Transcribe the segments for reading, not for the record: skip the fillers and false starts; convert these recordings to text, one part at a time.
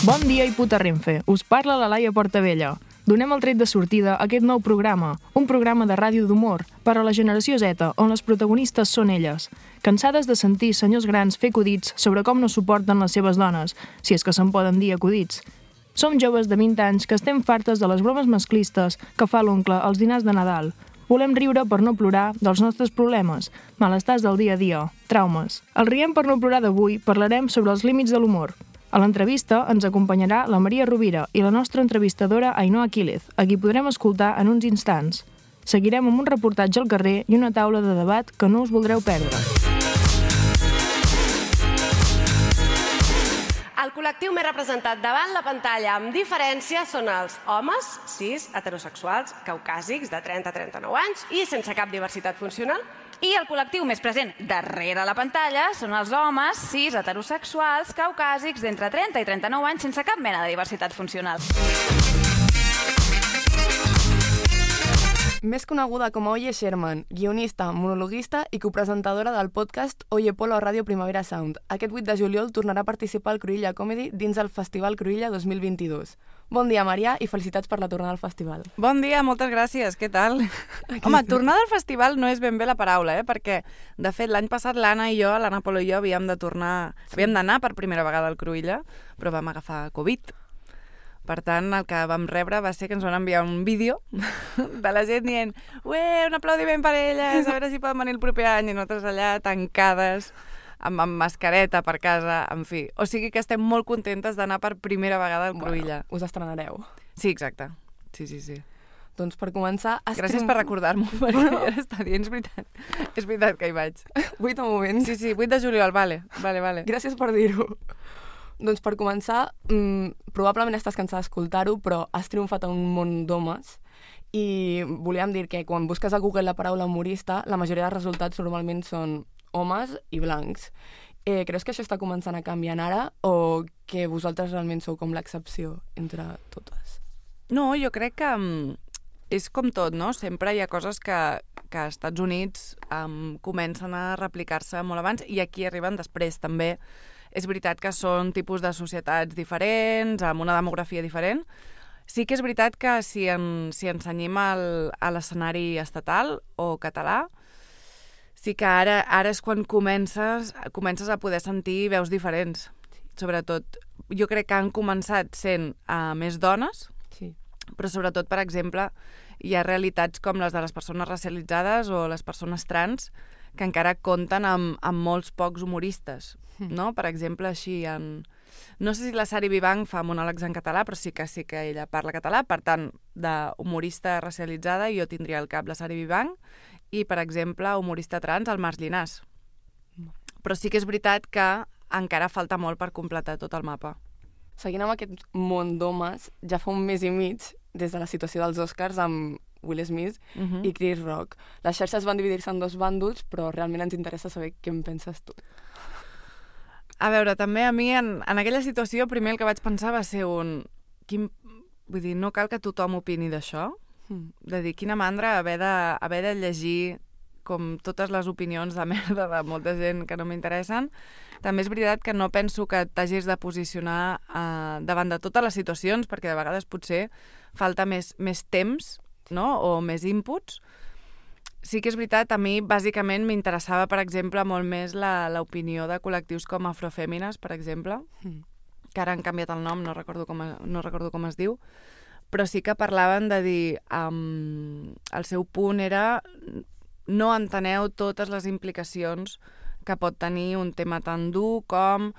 Bon dia i puta Renfe, us parla la Laia Portavella. Donem el tret de sortida a aquest nou programa, un programa de ràdio d'humor per a la generació Z, on les protagonistes són elles. Cansades de sentir senyors grans fer acudits sobre com no suporten les seves dones, si és que se'n poden dir acudits. Som joves de 20 anys que estem fartes de les bromes masclistes que fa l'oncle als dinars de Nadal. Volem riure per no plorar dels nostres problemes, malestars del dia a dia, traumes. Al Riem per no plorar d'avui parlarem sobre els límits de l'humor. A l'entrevista ens acompanyarà la Maria Rovira i la nostra entrevistadora Ainhoa Quílez, a qui podrem escoltar en uns instants. Seguirem amb un reportatge al carrer i una taula de debat que no us voldreu perdre. El col·lectiu més representat davant la pantalla amb diferència són els homes, cis, heterosexuals, caucàsics de 30 a 39 anys i sense cap diversitat funcional. I el col·lectiu més present darrere la pantalla són els homes, cis, heterosexuals, caucàsics d'entre 30 i 39 anys sense cap mena de diversitat funcional. Més coneguda com a Oye Sherman, guionista, monologuista i copresentadora del podcast Oye Polo a Ràdio Primavera Sound. Aquest 8 de juliol tornarà a participar al Cruïlla Comedy dins el Festival Cruïlla 2022. Bon dia, Maria, i felicitats per la tornada al festival. Bon dia, moltes gràcies. Què tal? Home, tornada al festival no és ben bé la paraula, perquè, de fet, l'any passat l'Anna Polo i jo havíem d'anar per primera vegada al Cruïlla, però vam agafar Covid. Per tant, el que vam rebre va ser que ens van enviar un vídeo de la gent dient un aplaudiment per elles, a veure si poden venir el proper any, i nosaltres allà tancades, amb mascareta per casa, en fi. O sigui que estem molt contentes d'anar per primera vegada al Cruïlla. Us estrenareu. Sí, exacte. Sí. Doncs per començar... Gràcies per recordar-m'ho, perquè ja està dient, és veritat. És veritat que hi vaig. 8 de moment. Sí, 8 de juliol, vale. Gràcies per dir-ho. Doncs per començar, probablement estàs cansada d'escoltar-ho, però has triomfat en un món d'homes i volíem dir que quan busques a Google la paraula humorista, la majoria dels resultats normalment són homes i blancs. Creus que això està començant a canviar ara o que vosaltres realment sou com l'excepció entre totes? No, jo crec que és com tot, no? Sempre hi ha coses que als Estats Units comencen a replicar-se molt abans i aquí arriben després també. És veritat que són tipus de societats diferents, amb una demografia diferent. Sí que és veritat que si ens cenyim a l'escenari estatal o català, sí que ara és quan comences a poder sentir veus diferents. Sobretot, jo crec que han començat sent més dones, sí. Però sobretot, per exemple, hi ha realitats com les de les persones racialitzades o les persones trans que encara compten amb molts pocs humoristes, no? Per exemple, així no sé si la Sari Vivanc fa monòlegs en català, però sí que ella parla català, per tant, d'humorista racialitzada jo tindria al cap la Sari Vivanc i, per exemple, humorista trans, el Marc Llinàs. Però sí que és veritat que encara falta molt per completar tot el mapa. Seguint amb aquest món d'homes, ja fa un mes i mig, des de la situació dels Oscars amb Will Smith i Chris Rock. Les xarxes van dividir-se en dos bàndols, però realment ens interessa saber què en penses tu. A veure, també a mi, en aquella situació, primer el que vaig pensar va ser vull dir, no cal que tothom opini d'això. De dir, quina mandra haver de llegir com totes les opinions de merda de molta gent que no m'interessen. També és veritat que no penso que t'hagis de posicionar davant de totes les situacions, perquè de vegades potser falta més temps, no? O més inputs. Sí que és veritat, a mi bàsicament m'interessava, per exemple, molt més l'opinió de col·lectius com Afrofèmines, per exemple, que ara han canviat el nom, no recordo com es diu, però sí que parlaven de dir, el seu punt era no enteneu totes les implicacions que pot tenir un tema tan dur com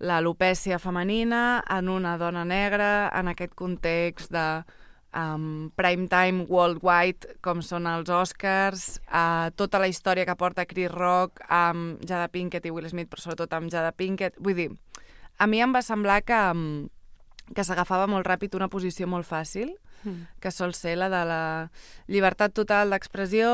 l'alopècia femenina en una dona negra, en aquest context de prime time worldwide, com són els Oscars, tota la història que porta Chris Rock amb Jada Pinkett i Will Smith, però sobretot amb Jada Pinkett. Vull dir, a mi em va semblar que s'agafava molt ràpid una posició molt fàcil, que sol ser la de la llibertat total d'expressió,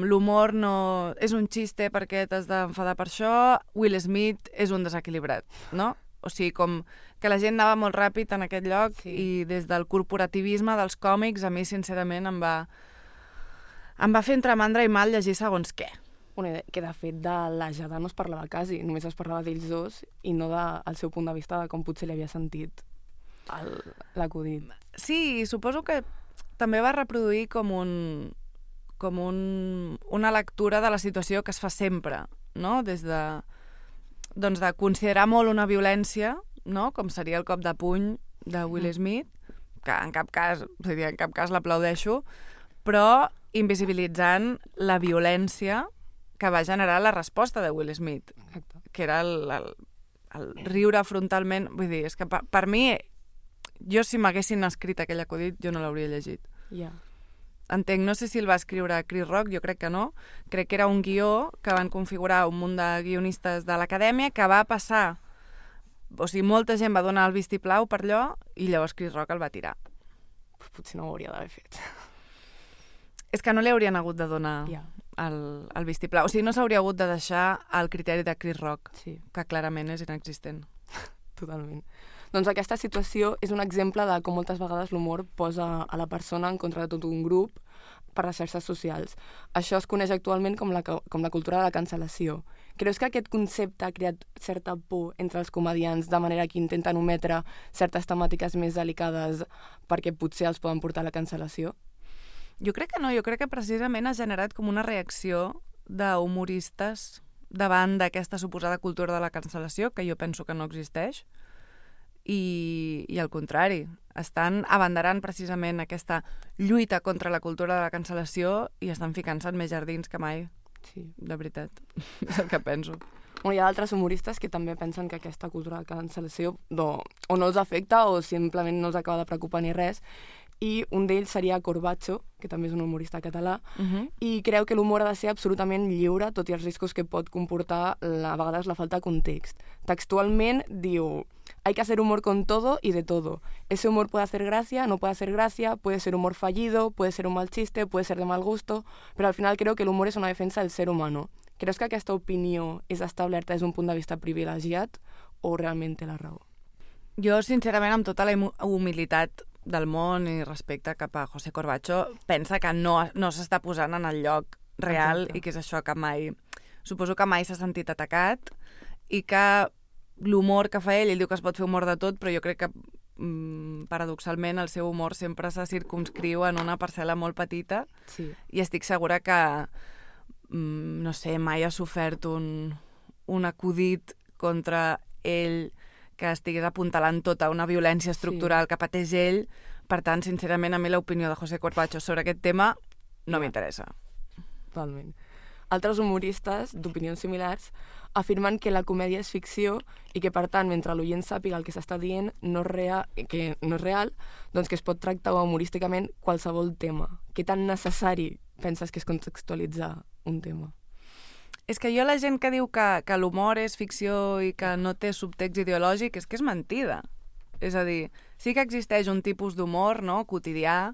l'humor no és un xiste perquè t'has d'enfadar per això, Will Smith és un desequilibrat, no? O sigui, com que la gent anava molt ràpid en aquest lloc i des del corporativisme dels còmics a mi, sincerament, em va fer entre mandra i mal llegir segons què. Que de fet de la Jada no es parlava quasi, només es parlava d'ells dos i no del seu punt de vista de com potser li havia sentit l'acudit. Sí, suposo que també va reproduir com una lectura de la situació que es fa sempre, no? Des de, doncs de considerar molt una violència, no? Com seria el cop de puny de Will Smith, que en cap cas l'aplaudeixo, però invisibilitzant la violència que va generar la resposta de Will Smith. Exacte. Que era el riure frontalment. Vull dir, és que per mi, jo si m'haguessin escrit aquell acudit, jo no l'hauria llegit. Yeah. Entenc, no sé si el va escriure Chris Rock, jo crec que no. Crec que era un guió que van configurar un munt de guionistes de l'acadèmia que va passar... O sigui, molta gent va donar el vistiplau per allò i llavors Chris Rock el va tirar. Potser no ho hauria d'haver fet. És que no li haurien hagut de donar el vistiplau. O sigui, no s'hauria hagut de deixar el criteri de Chris Rock, Sí. que clarament és inexistent. Totalment. Doncs aquesta situació és un exemple de com moltes vegades l'humor posa a la persona en contra de tot un grup per les xarxes socials. Això es coneix actualment com la cultura de la cancel·lació. Creus que aquest concepte ha creat certa por entre els comediants de manera que intenten ometre certes temàtiques més delicades perquè potser els poden portar a la cancel·lació? Jo crec que no, jo crec que precisament ha generat com una reacció d'humoristes davant d'aquesta suposada cultura de la cancel·lació, que jo penso que no existeix, i al contrari, estan abanderant precisament aquesta lluita contra la cultura de la cancel·lació i estan ficant-se en més jardins que mai. Sí. De veritat, és el que penso. Hi ha altres humoristes que també pensen que aquesta cultura de cancel·lació o no els afecta o simplement no els acaba de preocupar ni res, i un d'ells seria Corbacho, que també és un humorista català, i creu que l'humor ha de ser absolutament lliure, tot i els riscos que pot comportar a vegades la falta de context. Textualment diu: hay que hacer humor con todo y de todo. Ese humor puede hacer gracia, no puede hacer gracia, puede ser humor fallido, puede ser un mal chiste, puede ser de mal gusto, pero al final creo que el humor es una defensa del ser humano. Creus que aquesta opinió és establerta des d'un punt de vista privilegiat o realment té la raó? Jo, sincerament, amb tota la humilitat del món i respecte cap a José Corbacho, pensa que no s'està posant en el lloc real. Exacte. I que és això que mai... Suposo que mai s'ha sentit atacat i que l'humor que fa ell diu que es pot fer humor de tot, però jo crec que paradoxalment el seu humor sempre se circumscriu en una parcel·la molt petita. Sí. I estic segura que no sé, mai ha sofert un acudit contra ell que estigués apuntalant tota una violència estructural que pateix ell. Per tant, sincerament, a mi l'opinió de José Corbacho sobre aquest tema no m'interessa. Totalment. Altres humoristes d'opinions similars afirmen que la comèdia és ficció i que, per tant, mentre l'oient sàpiga el que s'està dient que no és real, doncs que es pot tractar humorísticament qualsevol tema. Què tan necessari penses que és contextualitzar un tema? És que jo la gent que diu que l'humor és ficció i que no té subtext ideològic és que és mentida. És a dir, sí que existeix un tipus d'humor, no?, quotidià,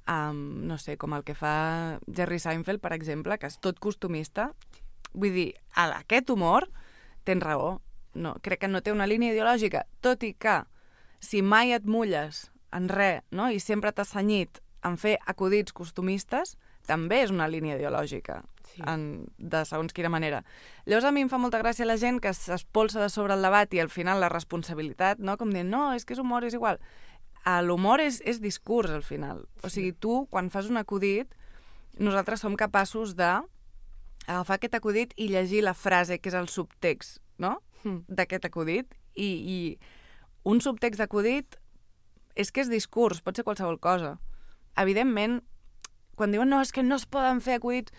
no sé, com el que fa Jerry Seinfeld, per exemple, que és tot costumista. Vull dir, aquest humor, tens raó, no, crec que no té una línia ideològica, tot i que si mai et mulles en res, no?, i sempre t'has cenyit en fer acudits costumistes, també és una línia ideològica, de segons quina manera. Llavors a mi em fa molta gràcia la gent que s'espolsa de sobre el debat i al final la responsabilitat, no?, com dient, no, és que és humor, és igual. L'humor és discurs, al final. O sigui, tu, quan fas un acudit, nosaltres som capaços d'agafar aquest acudit i llegir la frase, que és el subtext, no?, d'aquest acudit. I un subtext d'acudit és que és discurs, pot ser qualsevol cosa. Evidentment, quan diuen no, és que no es poden fer acudits,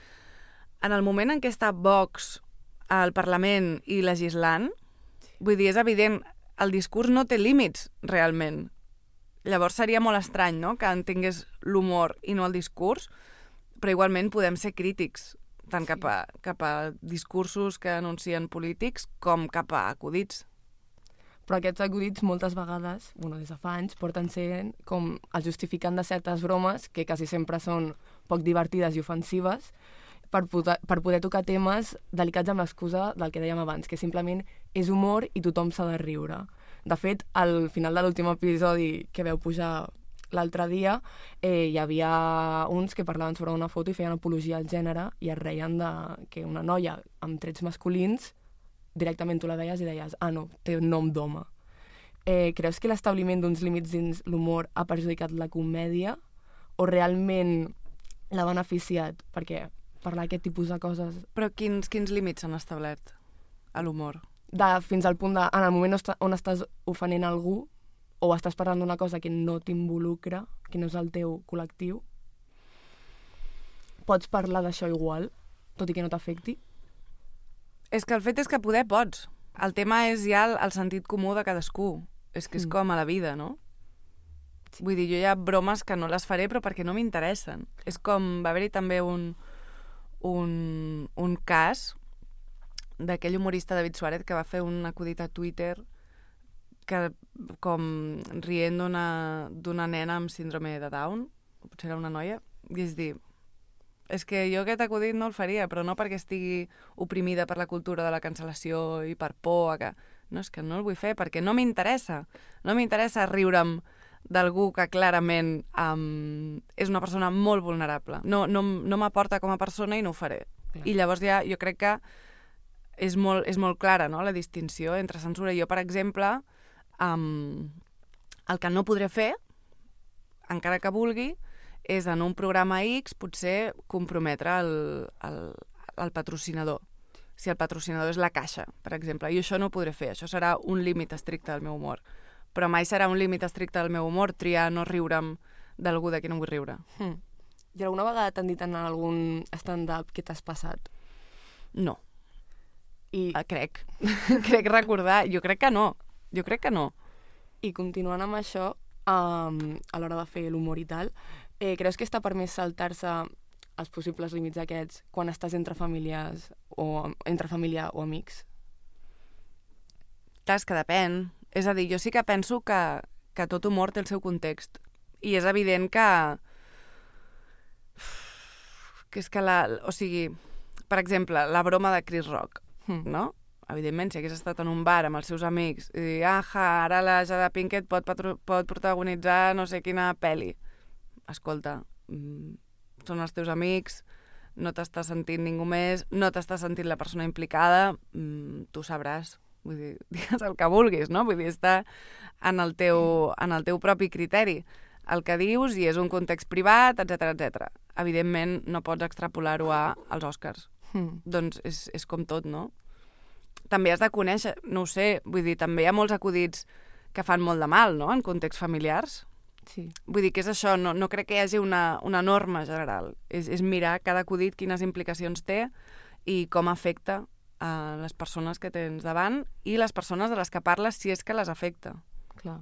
en el moment en què està Vox al Parlament i legislant, vull dir, és evident, el discurs no té límits, realment. Llavors seria molt estrany, no?, que entengués l'humor i no el discurs, però igualment podem ser crítics, tant cap a discursos que anuncien polítics com cap a acudits. Però aquests acudits moltes vegades, des de fa anys, porten sent com el justificant de certes bromes que quasi sempre són poc divertides i ofensives per poder tocar temes delicats amb l'excusa del que dèiem abans, que simplement és humor i tothom s'ha de riure. De fet, al final de l'últim episodi que veu pujar l'altre dia hi havia uns que parlaven sobre una foto i feien apologia al gènere i es reien que una noia amb trets masculins directament tu la veies i deies no, té nom d'home. Creus que l'establiment d'uns límits dins l'humor ha perjudicat la comèdia o realment l'ha beneficiat? Perquè parlar aquest tipus de coses... Però quins límits s'han establert a l'humor? Fins al punt en el moment on estàs ofenent algú o estàs parlant d'una cosa que no t'involucra, que no és el teu col·lectiu, pots parlar d'això igual, tot i que no t'afecti? És que el fet és que poder pots. El tema és ja el sentit comú de cadascú. És que és com a la vida, no? Sí. Vull dir, jo hi ha bromes que no les faré però perquè no m'interessen. És com, va haver-hi també un cas d'aquell humorista David Suárez que va fer un acudit a Twitter que com rient d'una nena amb síndrome de Down, potser era una noia, i és dir, és que jo aquest acudit no el faria, però no perquè estigui oprimida per la cultura de la cancel·lació i per por, no, és que no el vull fer perquè no m'interessa. No m'interessa riure'm d'algú que clarament és una persona molt vulnerable. No m'aporta com a persona i no ho faré. Clar. I llavors ja jo crec que és molt clara, no?, la distinció entre censura. Jo, per exemple, el que no podré fer, encara que vulgui, és en un programa X potser comprometre el patrocinador. Si el patrocinador és la Caixa, per exemple. I això no ho podré fer. Això serà un límit estricte del meu humor. Però mai serà un límit estricte del meu humor triar no riure'm d'algú de qui no vull riure. I alguna vegada t'han dit en algun stand-up que t'has passat? No. Crec recordar. Jo crec que no. I continuant amb això, a l'hora de fer l'humor i tal, creus que està permès saltar-se els possibles límits aquests quan estàs entre famílies o entre família o amics? Clar, és que depèn. És a dir, jo sí que penso que tot humor té el seu context. I és evident que és que o sigui, per exemple, la broma de Chris Rock, no? Evidentment, si hagués estat en un bar amb els seus amics i dir, ara la Jada Pinkett pot protagonitzar no sé quina pel·li. Escolta, són els teus amics, no t'està sentint ningú més, no t'està sentint la persona implicada, tu sabràs. Vull dir, digues el que vulguis, no? Vull dir, està en el teu propi criteri. El que dius i és un context privat, etc. Evidentment, no pots extrapolar-ho als Oscars. Doncs és com tot, no? També has de conèixer, no ho sé, vull dir, també hi ha molts acudits que fan molt de mal, no?, en contexts familiars. Sí. Vull dir que és això, no crec que hi hagi una norma general. És mirar cada acudit quines implicacions té i com afecta a les persones que tens davant i les persones de les que parles si és que les afecta. Clar.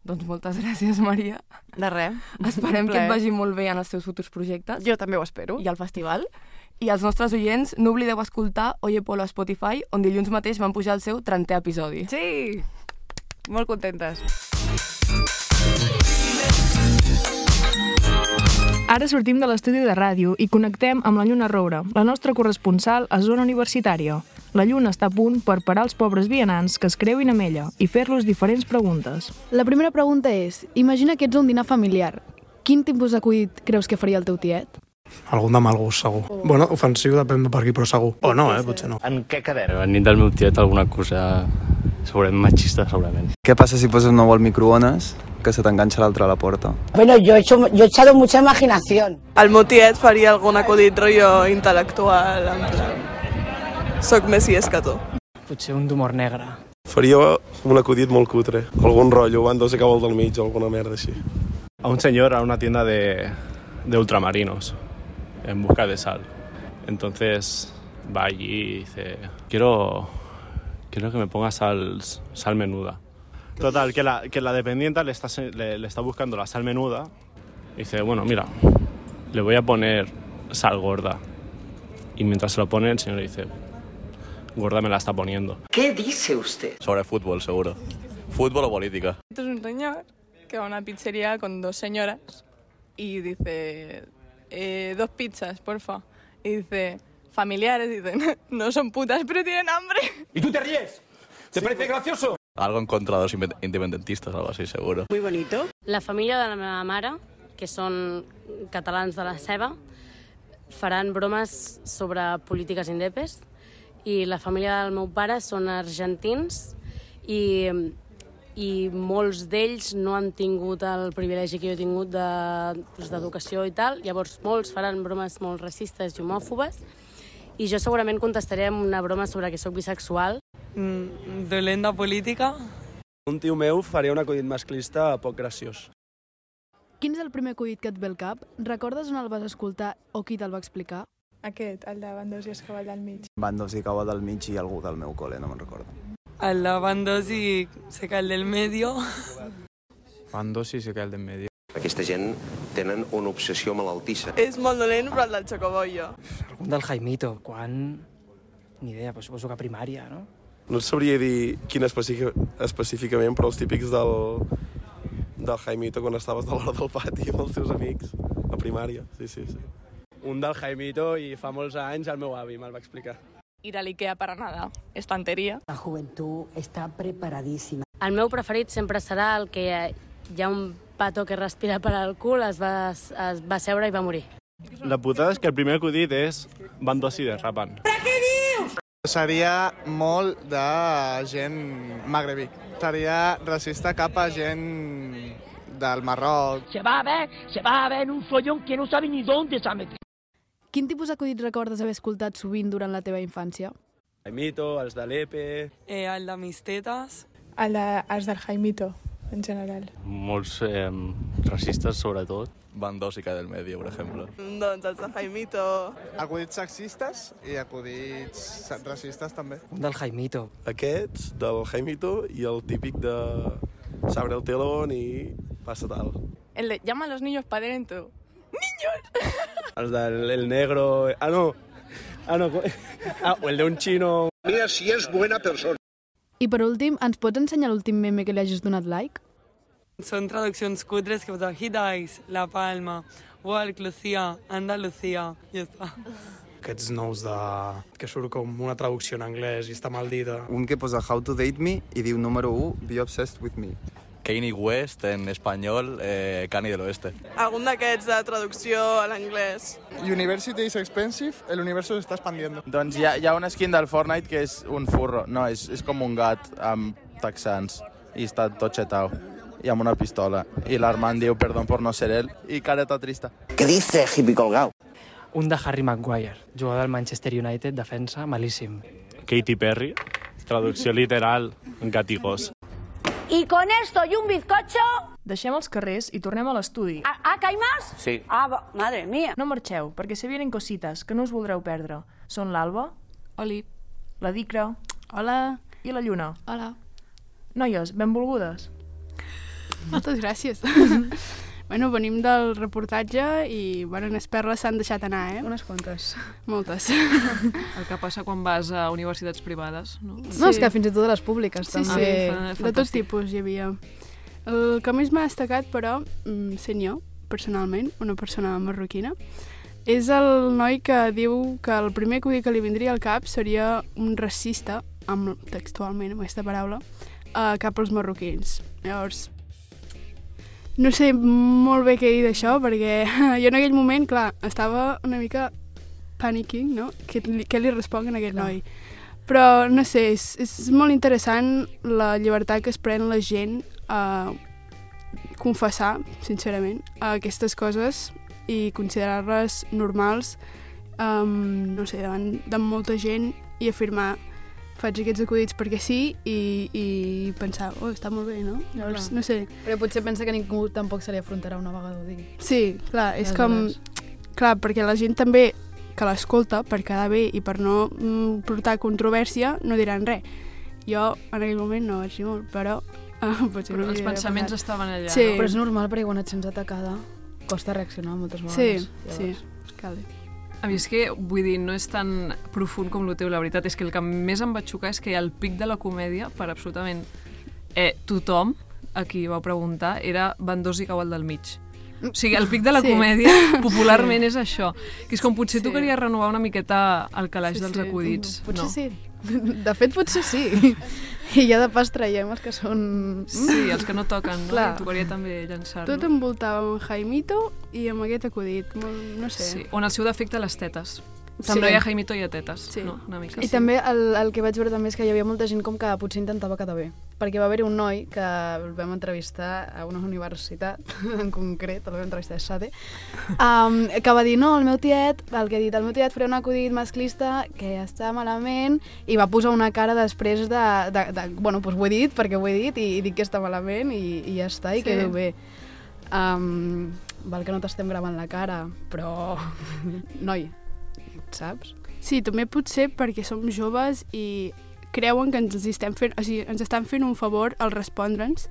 Doncs moltes gràcies, Maria. De res. Esperem que et vagi molt bé en els teus futurs projectes. Jo també ho espero. I al festival. I als nostres oients, no oblideu escoltar Oye Polo a Spotify, on dilluns mateix van pujar el seu 30è episodi. Sí! Molt contentes. Ara sortim de l'estudi de ràdio i connectem amb la Lluna Roure, la nostra corresponsal a zona universitària. La Lluna està a punt per parar els pobres vianants que es creuin amb ella i fer-los diferents preguntes. La primera pregunta és, imagina que ets un dinar familiar. Quin tipus d'acudit creus que faria el teu tiet? Algun de mal gust, segur. Bueno, ofensiu depèn de per qui, però segur. O no, potser no. En què quedem? A nit del meu tiet alguna cosa segurament machista, segurament. Què passa si poses un ou al microones que se t'enganxa l'altre a la porta? Bueno, yo he echado mucha imaginación. El meu tiet faria algun acudit rotllo intel·lectual, en plan... Soc més llest que tu. Potser un d'humor negre. Faria un acudit molt cutre. Algun rotllo, van dos a cabo del mig o alguna merda així. A un señor a una tienda de ultramarinos en busca de sal. Entonces va allí y dice, quiero que me ponga sal menuda. Total, que la dependienta le está buscando la sal menuda y dice, bueno, mira, le voy a poner sal gorda. Y mientras se lo pone, el señor le dice, gorda me la está poniendo. ¿Qué dice usted? Sobre fútbol, seguro. Fútbol o política. Esto es un señor que va a una pizzería con dos señoras y dice, 2 pizzas, porfa. Y dice, familiares, dicen, no son putas, pero tienen hambre. ¿Y tú te ríes? ¿Te parece gracioso? Algo en contra de los independentistas, algo así, seguro. Muy bonito. La família de la meva mare, que són catalans de la ceba, faran bromes sobre polítiques indepes, i la família del meu pare són argentins i molts d'ells no han tingut el privilegi que jo he tingut d'educació i tal, llavors molts faran bromes molt racistes i homòfobes, i jo segurament contestaré amb una broma sobre que sóc bisexual. Dolent de política. Un tio meu faria un acudit masclista poc graciós. Quin és el primer acudit que et ve al cap? Recordes on el vas escoltar o qui te'l va explicar? Aquest, el de Bandos i Escaball del mig. Bandos i Cava del mig i algú del meu col·le, no me'n recordo. El de Bandos i se cae el del medio. Bandos i se cae el del medio. Aquesta gent tenen una obsessió malaltissa. És molt dolent, però el del Chocobollo. Algun del Jaimito. Quan? Ni idea, però suposo que a primària, no? No et sabria dir quin específicament, però els típics del Jaimito quan estaves de l'hora del pati amb els teus amics a primària. Sí. Un del Jaimito i fa molts anys el meu avi me'l va explicar. Ir a l'Ikea para nada. Estanteria. La juventud está preparadísima. El meu preferit sempre serà el que hi ha un pato que respira per al cul, es va seure i va morir. La putada és que el primer acudit és Bandos i derrapen. Seria molt de gent magrebí. Seria racista cap a gent del Marroc. Se va a ver en un follón que no sabe ni dónde se ha metido. Quin tipus d'acudits recordes haver escoltat sovint durant la teva infància? Jaimito, els de l'Epe... El de mis tetes. Els del Jaimito, en general. Molts racistes, sobretot. Bandos i del medio, per exemple. Doncs els de Jaimito. Acudits sexistes i acudits racistes també. Un del Jaimito. Aquests, del Jaimito, i el típic de s'abre el telón i passa tal. El de llama a los niños pa dentro. ¡Niños! Els del negro... o el de un chino... Mira si és buena persona. I per últim, ens pots ensenyar l'últim meme que li hagis donat like? Són traduccions cutres que posen Hit Eyes, La Palma, Walk, Lucía, Andalucía, ja està. Aquests nous que surt com una traducció en anglès i està mal dita. Un que posa How to Date Me i diu número 1, Be Obsessed with Me. Kanye West, en espanyol, Kanye del Oeste. Algun d'aquests de traducció a l'anglès. University is expensive, el universo se está expandiendo. Doncs hi ha una skin del Fortnite que és un furro. No, és com un gat amb texans i està tot xetau i amb una pistola. I l'Armand diu perdón por no ser él i careta trista. Què dice, hippie colgao? Un de Harry Maguire, jugador del Manchester United, defensa, malíssim. Katy Perry, traducció literal, gat i gos. Y con esto y un bizcocho... Deixem els carrers i tornem a l'estudi. ¿Que hay más? Sí. Madre mía. No marxeu, perquè se vienen cosites que no us voldreu perdre. Són l'Alba. Oli. La Dicra. Hola. I la Lluna. Hola. Noies, benvolgudes. Moltes gràcies. Bueno, venim del reportatge i, bueno, unes perles s'han deixat anar, Unes quantes. Moltes. El que passa quan vas a universitats privades, no? No, és que fins i tot a les públiques, també. Sí, de tots tipus hi havia. El que més m'ha destacat, però, sent jo, personalment, una persona marroquina, és el noi que diu que el primer acudit que li vindria al cap seria un racista, textualment, amb aquesta paraula, cap als marroquins. Llavors, no sé molt bé què dir d'això, perquè jo en aquell moment, clar, estava una mica panicking, no? Què li responc a aquest noi? Però, no sé, és molt interessant la llibertat que es pren la gent a confessar, sincerament, aquestes coses i considerar-les normals, no sé, davant de molta gent i afirmar faig aquests acudits perquè sí i pensar, està molt bé, no? Llavors, no sé. Però potser pensa que ningú tampoc se li afrontarà una vegada ho digui. Sí, clar, és com... Clar, perquè la gent també que l'escolta, per quedar bé i per no portar controvèrsia, no diran res. Jo, en aquell moment, no vaig dir molt, però... Però els pensaments estaven allà. Sí. No? Però és normal, perquè quan et sents atacada costa reaccionar moltes vegades. Sí, cal. A mi és que, vull dir, no és tan profund com el teu, la veritat. És que el que més em va xocar és que el pic de la comèdia, per absolutament tothom, a qui vau preguntar, era Bandós i Cabal del mig. O sigui, el pic de la comèdia, popularment, és això. Que és com potser tu queries renovar una miqueta el calaix dels acudits. Potser sí. De fet, potser sí. I ja de pas traiem els que són... Sí, els que no toquen, no? Clar. Tocaria també llançar-lo. Tot envoltava amb Jaimito i amb aquest acudit, no sé. Sí, on el seu defecte les tetes. També. Si no hi ha Jaimito, hi ha tetes. Sí. No, una mica. I també el que vaig veure també és que hi havia molta gent com que potser intentava quedar bé. Perquè va haver un noi que el vam entrevistar a una universitat, en concret, el vam entrevistar a SADE, que va dir, no, el meu tiet farà un acudit masclista que ja està malament, i va posar una cara després bueno, doncs ho he dit perquè ho he dit i dic que està malament i ja està, i quedo bé. Val que no t'estem gravant la cara, però... Noi, saps? Sí, també potser perquè som joves i creuen que ens estan fent un favor al respondre'ns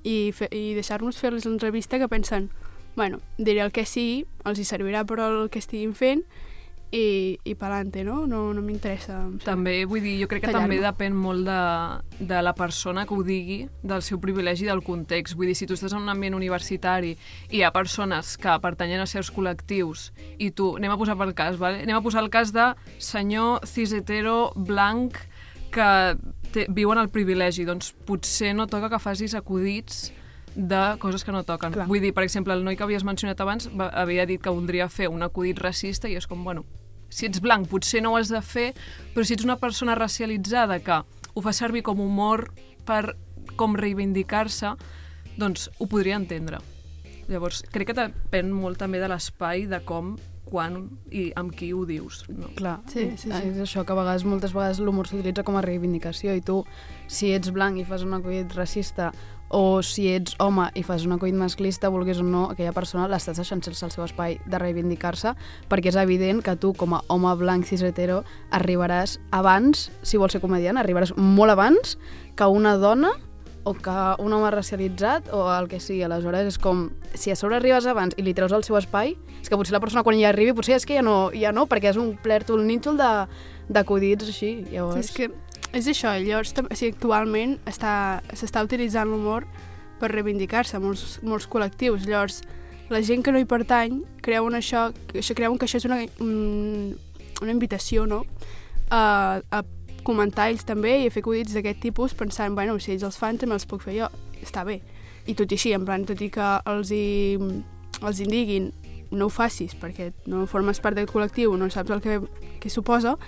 i deixar-nos fer-los l'entrevista, que pensen, bueno, diré el que sí, els hi servirà per el que estiguin fent i pa'lante, no? No m'interessa. També, vull dir, jo crec que també depèn molt de la persona que ho digui, del seu privilegi i del context. Vull dir, si tu estàs en un ambient universitari i hi ha persones que pertanyen a certs col·lectius i tu, anem a posar pel cas, vale? Anem a posar el cas de senyor cis-hetero blanc que viuen el privilegi, doncs potser no toca que facis acudits de coses que no toquen. Clar. Vull dir, per exemple, el noi que havies mencionat abans havia dit que voldria fer un acudit racista i és com, bueno, si ets blanc potser no ho has de fer, però si ets una persona racialitzada que ho fa servir com humor per com reivindicar-se, doncs ho podria entendre. Llavors, crec que depèn molt també de l'espai, de com, quan i amb qui ho dius. No? Clar, sí. És això, que moltes vegades l'humor s'utilitza com a reivindicació i tu, si ets blanc i fas un acudit racista o si ets home i fas un acudit masclista, vulguis o no, aquella persona l'estàs deixant sense el seu espai de reivindicar-se, perquè és evident que tu, com a home blanc cis-hetero, arribaràs abans, si vols ser comediant, arribaràs molt abans que una dona o que un home racialitzat o el que sigui. Aleshores és com, si a sobre arribes abans i li treus el seu espai, és que potser la persona quan hi arribi potser és que ja no, perquè és un plèrtol nítol d'acudits així. Llavors... Sí, és que és això, llavors actualment s'està utilitzant l'humor per reivindicar-se molts col·lectius. Llavors, la gent que no hi pertany creuen que això és una invitació, no? A comentar ells també i a fer acudits d'aquest tipus pensant, bueno, si ells els fan també els puc fer jo, està bé. I tot i així, en plan, tot i que els diguin no ho facis perquè no formes part del col·lectiu, no saps el que suposa,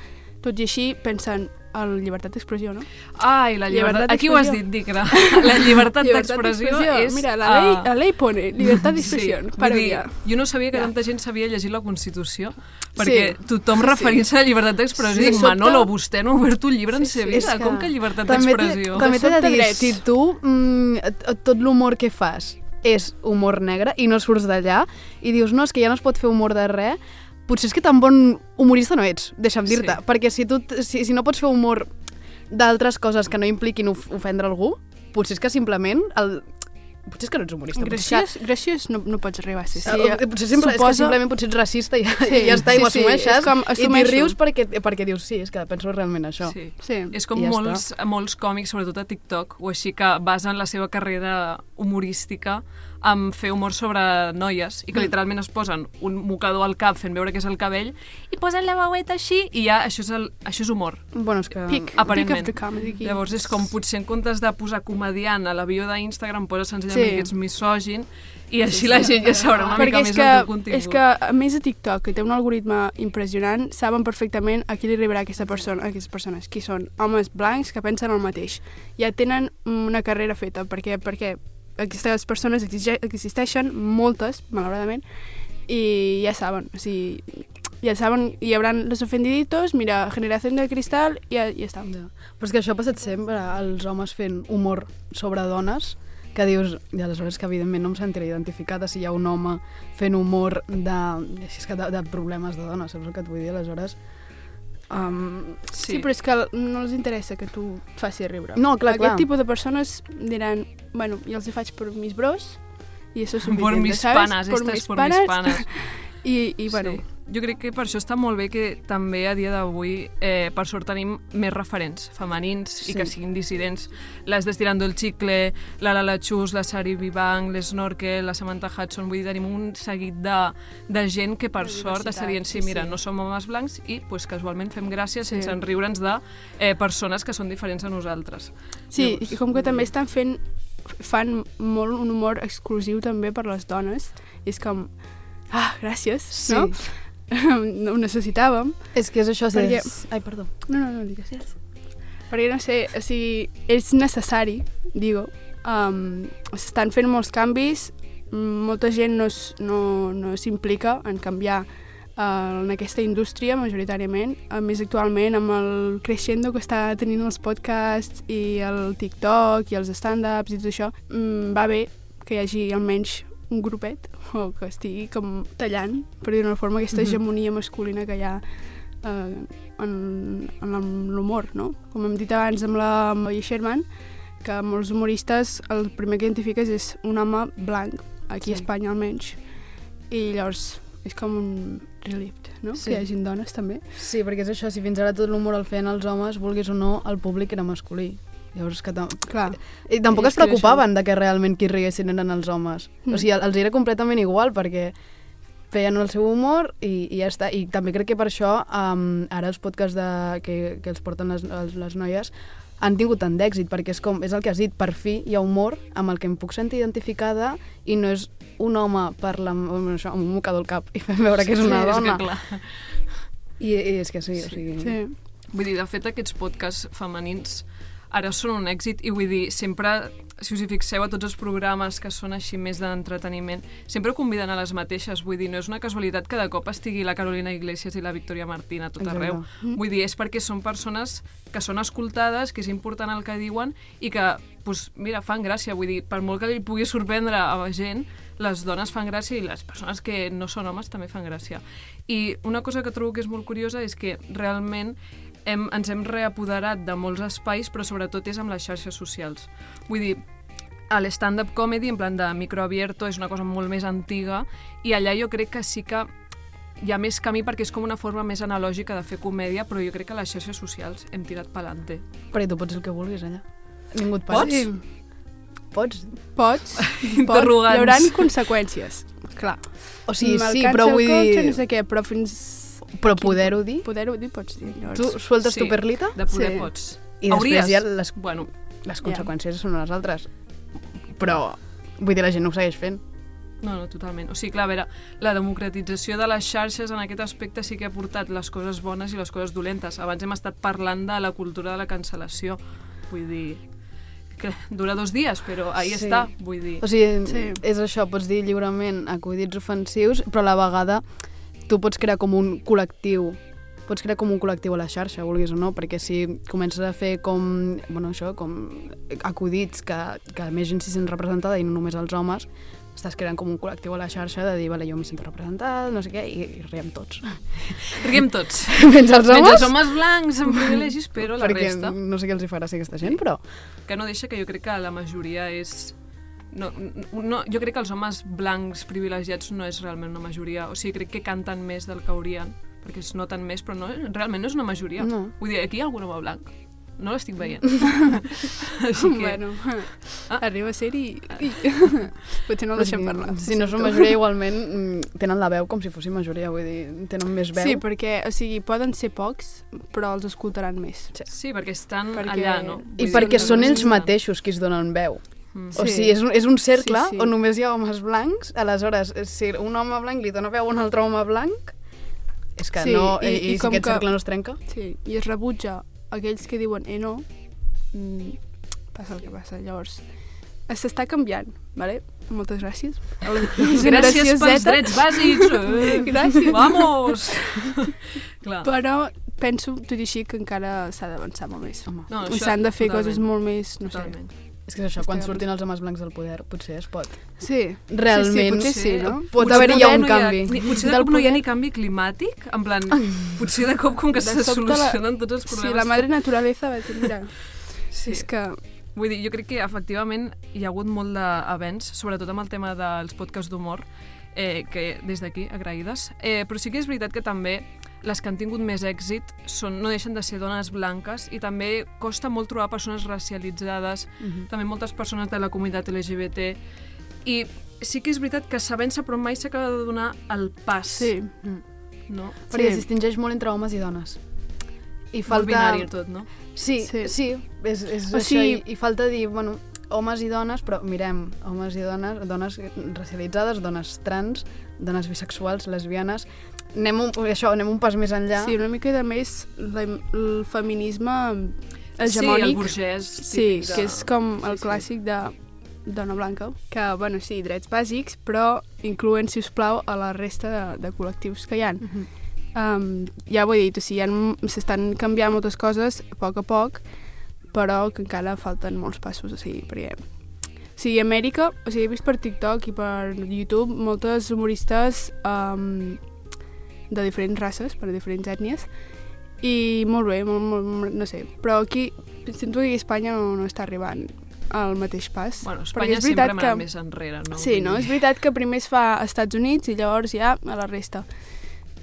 tot i així pensen en llibertat d'expressió, no? Ai, la llibertat... Aquí ho has dit, Dicra. La llibertat d'expressió és... Mira, la ley pone llibertat d'expressió. Sí, jo no sabia que tanta gent sabia llegir la Constitució, perquè tothom referint-se a la llibertat d'expressió dic, Manolo, vostè no ha obert un llibre en sa vida, com que llibertat d'expressió? També t'he de dir, si tu tot l'humor que fas és humor negre i no surts d'allà i dius, no, és que ja no es pot fer humor de res, potser és que tan bon humorista no ets, deixa'm dir-te, perquè si no pots fer humor d'altres coses que no impliquin ofendre algú, potser és que simplement potser és que no ets humorista. Graciós no pots arribar a ser. Potser és que simplement potser ets racista i ja està, i ho assumeixes i t'hi rius perquè dius, sí, és que penso realment això. És com molts còmics, sobretot a TikTok, o així que basen la seva carrera humorística en fer humor sobre noies i que literalment es posen un mocador al cap fent veure que és el cabell i posen la veueta així i ja això és humor. Bueno, és que... Aparentment. Llavors és com potser en comptes de posar comediant a la bio d'Instagram poses senzillament que ets misògin i així la gent ja sabrà una mica més el teu contingut. És que a més a TikTok, que té un algoritme impressionant, saben perfectament a qui li arribarà aquestes persones, qui són homes blancs que pensen el mateix. Ja tenen una carrera feta, perquè aquestes persones existeixen, moltes, malauradament, i ja saben, o sigui, ja saben, hi haurà los ofendiditos, mira, generació de cristal, i ja està. Però és que això ha passat sempre, els homes fent humor sobre dones, que dius, i aleshores que evidentment no em sentiré identificada si hi ha un home fent humor de problemes de dones, saps el que et vull dir? Aleshores... Sí, però és que no els interessa que tu et faci riure. No, clar. Aquest tipus de persones diran, bueno, jo els hi faig per mis bros i això és suficient, por mis panas, estas por mis panas. I bueno, jo crec que per això està molt bé que també a dia d'avui, per sort, tenim més referents femenins i que siguin dissidents. Les d'Estirando el Chicle, la Lala Chus, la Sari Vivang, l'Snorkel, la Samantha Hudson, vull dir, tenim un seguit de gent que per sort està dient, sí, mira, no som homes blancs i pues, casualment fem gràcia sense enriure'ns de persones que són diferents a nosaltres. Sí, i com que també fan molt un humor exclusiu també per les dones, és com, gràcies, no? Ho necessitàvem. És que és això, perquè... Ai, perdó. No, digues. Perquè, no sé, o sigui, és necessari, digo. S'estan fent molts canvis, molta gent no s'implica en canviar en aquesta indústria, majoritàriament. A més, actualment, amb el crescendo que està tenint els podcasts i el TikTok i els stand-ups i tot això, va bé que hi hagi almenys un grupet o que estigui com tallant, per dir d'una forma, aquesta hegemonia masculina que hi ha en l'humor, no? Com hem dit abans amb la Molly Sherman, que molts humoristes el primer que identifiques és un home blanc, aquí a Espanya almenys, i llavors és com un relief, no? Que hi hagin dones també. Sí, perquè és això, si fins ara tot l'humor el feien els homes, vulguis o no, el públic era masculí. Llavors, que clar. I tampoc es preocupaven de que realment qui riguessin eren els homes. O sigui, els era completament igual, perquè feien el seu humor i ja està. I també crec que per això ara els podcasts que els porten les noies han tingut tant d'èxit, perquè és el que has dit, per fi hi ha humor amb el que em puc sentir identificada i no és un home parlant amb un mocador al cap i fem veure que és una dona. És que clar. I és que sí, o sigui... Sí. Vull dir, de fet, aquests podcasts femenins ara són un èxit i vull dir, sempre, si us hi fixeu a tots els programes que són així més d'entreteniment, sempre conviden a les mateixes, vull dir, no és una casualitat que de cop estigui la Carolina Iglesias i la Victoria Martín a tot arreu. Vull dir, és perquè són persones que són escoltades, que és important el que diuen i que, doncs, mira, fan gràcia, vull dir, per molt que li pugui sorprendre a la gent, les dones fan gràcia i les persones que no són homes també fan gràcia. I una cosa que trobo que és molt curiosa és que realment ens hem reapoderat de molts espais, però sobretot és amb les xarxes socials. Vull dir, l'stand-up comedy, en plan de microabierto, és una cosa molt més antiga i allà jo crec que sí que hi ha més camí perquè és com una forma més analògica de fer comèdia, però jo crec que les xarxes socials hem tirat pelante. Però tu pots el que vulguis allà. Ningú et para. Pots? Interrogants. Hi haurà conseqüències, clar. O sigui, sí, però vull dir... No sé què, però fins... Però poder-ho dir? Poder-ho dir pots dir. Llavors... Tu sueltes tu perlita? De poder pots. I després ja les conseqüències són les altres. Però, vull dir, la gent no ho segueix fent. No, totalment. O sigui, clar, a veure, la democratització de les xarxes en aquest aspecte sí que ha portat les coses bones i les coses dolentes. Abans hem estat parlant de la cultura de la cancel·lació. Vull dir... que dura 2 dies, però ahí està, vull dir. O sigui, és això, pots dir lliurement acudits ofensius, però a la vegada tu pots crear com un col·lectiu, a la xarxa, vulguis o no, perquè si comences a fer com acudits que més gent s'hi sent representada i no només els homes, estàs creant com un col·lectiu a la xarxa de dir, vale, jo m'hi sento representat, no sé què, i riem tots. Riem tots. Menys els homes. Menys els homes blancs amb privilegis, però la resta... Perquè no sé què els hi farà ser aquesta gent, però... Que no deixa que jo crec que la majoria és... No, jo crec que els homes blancs privilegiats no és realment una majoria. O sigui, crec que canten més del que haurien, perquè es noten més, però realment no és una majoria. No. Vull dir, aquí hi ha algun home blanc. No l'estic veient. Així que... Bueno, arriba a ser i... Potser no el deixem parlar. Si no són majoria, igualment tenen la veu com si fossin majoria, vull dir, tenen més veu. Sí, perquè, o sigui, poden ser pocs, però els escoltaran més. Sí, perquè estan allà, no? I perquè són ells mateixos qui es donen veu. O sigui, és un cercle on només hi ha homes blancs, aleshores, si un home blanc li dona veu a un altre home blanc, és que no... I si aquest cercle no es trenca? Sí, i es rebutja aquells que diuen no, passa el que passa. Llavors, s'està canviant, ¿vale? Moltes gràcies. Gràcies pels drets bàsics. Gràcies. Vamos! Però penso, tot i així, que encara s'ha d'avançar molt més. No, s'han de fer coses molt més, no sé. És que és això, quan surtin els homes blancs del poder, potser es pot. Sí. Realment, potser sí, no? Pot haver-hi ja un canvi. Potser de cop no hi ha ni canvi climàtic, en plan, potser de cop com que se solucionen tots els problemes. Sí, la madre naturaleza va dir, mira, és que... Vull dir, jo crec que efectivament hi ha hagut molt d'avenç, sobretot amb el tema dels podcasts d'humor, que des d'aquí, agraïdes. Però sí que és veritat que també les que han tingut més èxit no deixen de ser dones blanques i també costa molt trobar persones racialitzades, també moltes persones de la comunitat LGBT, i sí que és veritat que sabent-se però mai s'acaba de donar el pas. Sí. No? Perquè es distingeix molt entre homes i dones. I falta... Molt binari tot, no? Sí, és això, i falta dir, bueno, homes i dones, però mirem, homes i dones, dones racialitzades, dones trans, dones bisexuals, lesbianes, anem un pas més enllà. Sí, una mica de més el feminisme hegemònic. Sí, el burgès. Sí, que és com el clàssic de dona blanca, que, bueno, sí, drets bàsics, però incloent, si us plau, a la resta de col·lectius que hi ha. Ja ho he dit, o sigui, s'estan canviant moltes coses a poc, però que encara falten molts passos, o sigui, perquè... O sigui, a Amèrica, o sigui, he vist per TikTok i per YouTube moltes humoristes de diferents races, per diferents ètnies, i molt bé, no sé, però aquí, sento que a Espanya no està arribant al mateix pas. Bueno, Espanya sempre m'ha més enrere, no? Sí, no? És veritat que primer es fa als Estats Units i llavors ja a la resta.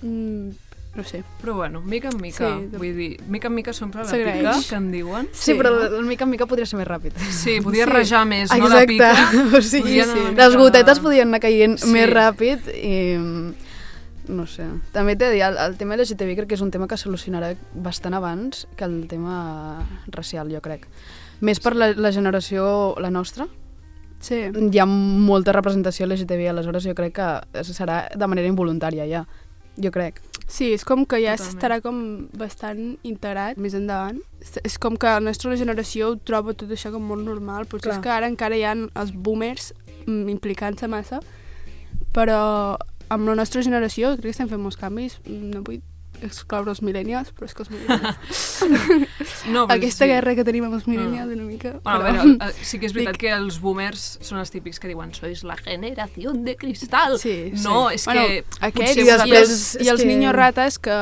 No sé. Però bueno, mica en mica, vull dir, mica en mica s'omple la pica, que en diuen. Sí, però el mica en mica podria ser més ràpid. Sí, podia rajar més, no la pica. O sigui, les gotetes podien anar caient més ràpid i... No sé. També t'he de dir, el tema LGTBI crec que és un tema que solucionarà bastant abans que el tema racial, jo crec. Més per la generació, la nostra. Sí. Hi ha molta representació LGTBI, aleshores jo crec que serà de manera involuntària ja. Jo crec. Sí, és com que ja estarà com bastant integrat més endavant. És com que la nostra generació ho troba tot això com molt normal. Potser és que ara encara hi ha els boomers implicant-se massa, però amb la nostra generació crec que estem fent molts canvis. No vull excloure els millennials, però és que els millennials... Aquesta guerra que tenim amb els millennials una mica... Bueno, a veure, sí que és veritat que els boomers són els típics que diuen sois la generació de cristal. No, és que... Aquests i els niños ratas que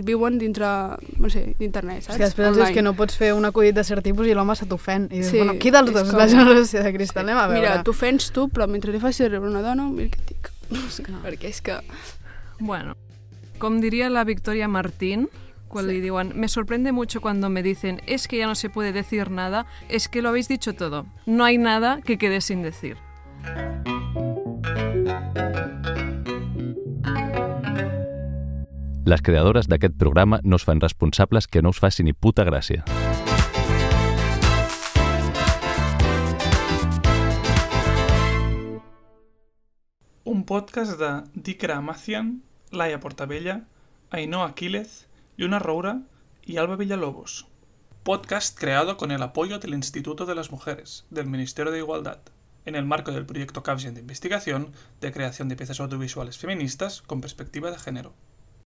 viuen dintre, no sé, d'internet, saps? És que després dius que no pots fer un acudit de cert tipus i l'home se t'ofèn. I dius, bueno, qui dels dos és la generació de cristal? Anem a veure. Mira, t'ofens tu, però mentre li facis rebre una dona, mira què et dic. Perquè és que... Bueno... Com diría la Victoria Martín, cuando le digan, me sorprende mucho cuando me dicen, es que ya no se puede decir nada, es que lo habéis dicho todo. No hay nada que quede sin decir. Les creadores d'aquest programa no es fan responsables que no us faci ni puta gràcia. Un podcast de Dikra Amazian, Laia Portabella, Ainhoa Aquiles, Lluna Roura y Alba Villalobos. Podcast creado con el apoyo del Instituto de las Mujeres, del Ministerio de Igualdad, en el marco del proyecto Capgen de investigación de creación de piezas audiovisuales feministas con perspectiva de género.